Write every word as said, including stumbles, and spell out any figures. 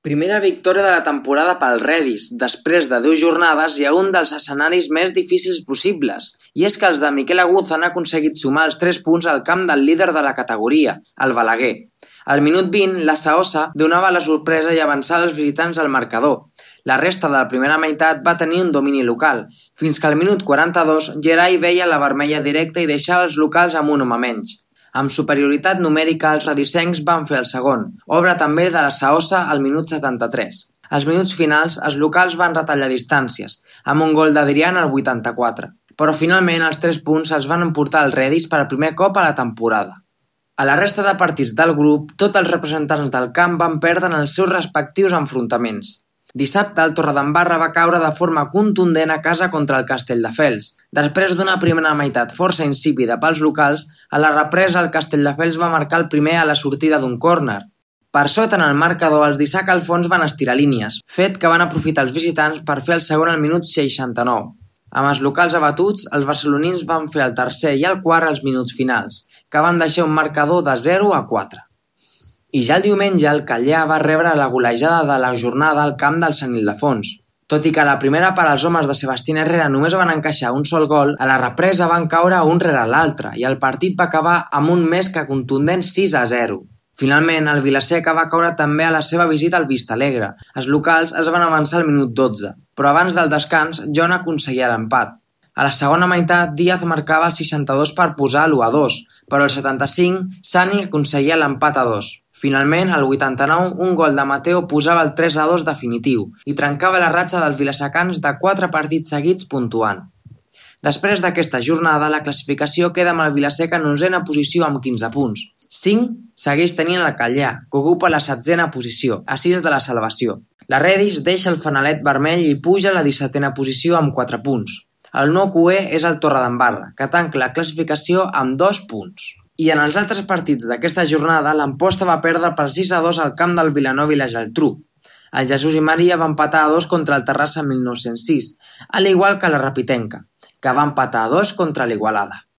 Primera victòria de la temporada pel Redis, després de deu jornades i a un dels escenaris més difícils possibles. I és que els de Miquel Aguza han aconseguit sumar els tres punts al camp del líder de la categoria, el Balaguer. Al minut vint, la Saossa donava la sorpresa i avançava els visitants al marcador. La resta de la primera meitat va tenir un domini local, fins que al minut quaranta-dos Gerai veia la vermella directa i deixava els locals amb un home menys. Amb superioritat numèrica, els redisencs van fer el segon, obra també de la Saossa al minut setanta-tres. Als minuts finals, els locals van retallar distàncies, amb un gol d'Adrián al vuitanta-quatre, però finalment els tres punts els van emportar el Redis per primer cop a la temporada. A la resta de partits del grup, tots els representants del camp van perdre en els seus respectius enfrontaments. Dissabte, el Torredembarra va caure de forma contundent a casa contra el Castelldefels. Després d'una primera meitat força insípida pels locals, a la represa el Castelldefels va marcar el primer a la sortida d'un córner. Per sota en el marcador, els d'Isaac Alfons van estirar línies, fet que van aprofitar els visitants per fer el segon al minut seixanta-nou. Amb els locals abatuts, els barcelonins van fer el tercer i el quart als minuts finals, que van deixar un marcador de zero a quatre. I ja el diumenge el Callar va rebre la golejada de la jornada al camp del Sant Ildefons. Tot i que a la primera part els homes de Sebastián Herrera només van encaixar un sol gol, a la represa van caure un rere l'altre i el partit va acabar amb un més que contundent sis a zero. Finalment, el Vilaseca va caure també a la seva visita al Vistalegre. Els locals es van avançar al minut dotze, però abans del descans, Jon aconseguia l'empat. A la segona meitat, Díaz marcava el seixanta-dos per posar l'u a dos, però al setanta-cinc, Sani aconseguia l'empat a dos. Finalment, al vuitanta-nou, un gol de Mateo posava el tres a dos definitiu i trencava la ratxa dels vilasecans de quatre partits seguits puntuant. Després d'aquesta jornada, la classificació queda amb el Vilaseca en onzena posició amb quinze punts. cinc segueix tenint el Callar, que ocupa la setzena posició, a sis de la salvació. La Redis deixa el fanalet vermell i puja a la dissetena posició amb quatre punts. El nou Q E és el Torredembarra, que tanca la classificació amb dos punts. I en els altres partits d'aquesta jornada, l'Amposta va perdre per sis a dos al camp del Vilanova i la Geltrú. El Jesús i Maria va empatar a dos contra el Terrassa mil nou-cents sis, a l'igual que la Rapitenca, que va empatar a dos contra l'Igualada.